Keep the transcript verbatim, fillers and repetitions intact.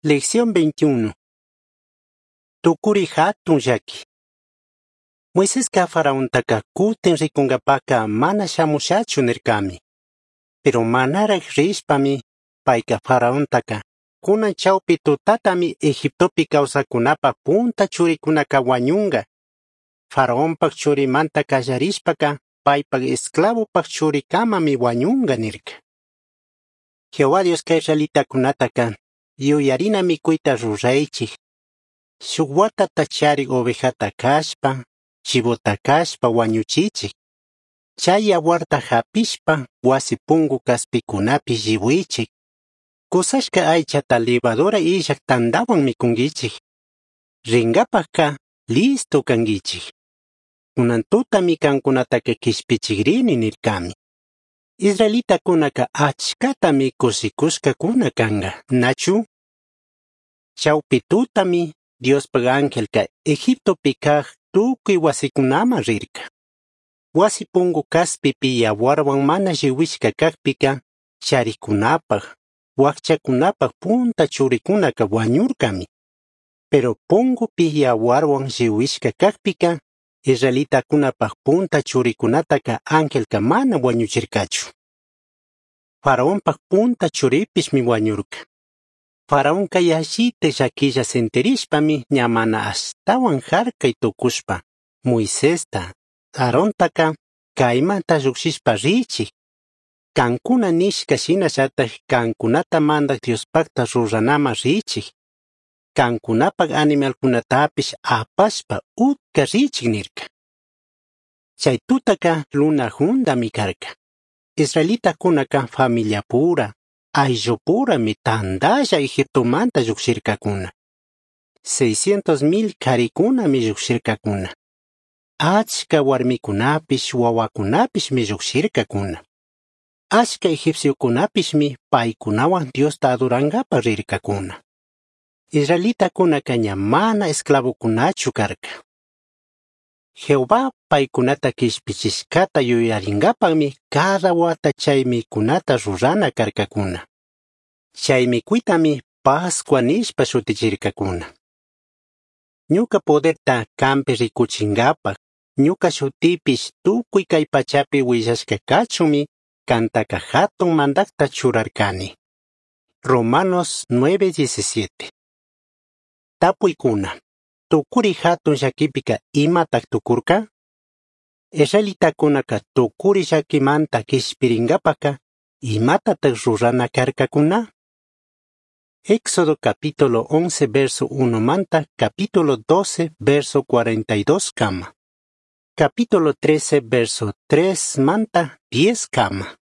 Lección veintiuno. Tucuri hatun llaki. Moisesca faraontaka kutin rikunkapaka mana shamushachu nirkami. Pero manaraj rishpami payka faraontaka kunan chawpi tutatami Egiptopi kawsakunapa punta churikunaka wañunka. Faraonpak churimanta kallarishpaka paypak esclavopak churikamami wañunka nirka. Jehová Dioska israelitakunataka yuyarina mikuyta ruraychik. Shuk watata charik ovejata kashpa, chivota kashpa wañuchichik. Chay yawarta hapishpa wasi punku kaspikunapi lliwichik. Kusashka aychata levadura illak tantawan mikunkichik. Rinkapakka listo kankichik. Kunan tutami kankunataka kishpichikrini nirkami. Israelitakunaka achkatami kushikushkakuna kanka, nachu? Chawpi tutami Diospak angelka Egiptopi kaj tukuy wasikunaman rirka. Wasi punku kaspipi yawarwan mana lliwishka kakpika charikunapaj, wakchakunapaj punta churikunaka wañurkami. Pero punkupi yawarwan lliwishka kakpika israelitakunapaj punta churikunataka angelka mana wañuchirkachu. Faraonpak punta churipishmi wañurka. Faraonka yallita llakilla sentirishpami ña mana ashtawan harkay tukushpa Moisesta, Aarontaka kaymanta llukshishpa richik. Kankuna nishka shinallataj kankunata mandak Diospakta ruranaman richik. Kankunapak animalkunatapish apashpa utka richik nirka. Chay tutaka luna jundami karka. Israelitakunaka familiapura, ayllupurami tantalla Egiptomanta llukshirkakuna. Seiscientos mil karikunami llukshirkakuna. Achka warmikunapish wawakunapishmi llukshirkakuna. Achka egipciokunapishmi paykunawan Diosta adorankapa rirkakuna. Israelitakunaka ña mana esclavokunachu karka. Jehová paykunata kishpichishkata yuyarinkapakmi cada wata chay mikunata rurana karkakuna. Chay mikuytami Pascua nishpa shutichirkakuna. Ñuka poderta kampi rikuchinkapak, ñuka shutipish tukuy kay pachapi willashka kachunmi kantaka hatun mandakta churarkani. Romanos nueve diecisiete. Tapuykuna. Tukuri hatun llakipika imatak tukurka? Israelitakunaka tukuri llakimanta kishpirinkapaka imatatak rurana karkakuna? Éxodo capítulo once verso uno manta capítulo doce verso cuarenta y dos kama. Capítulo trece verso tres manta diez kama.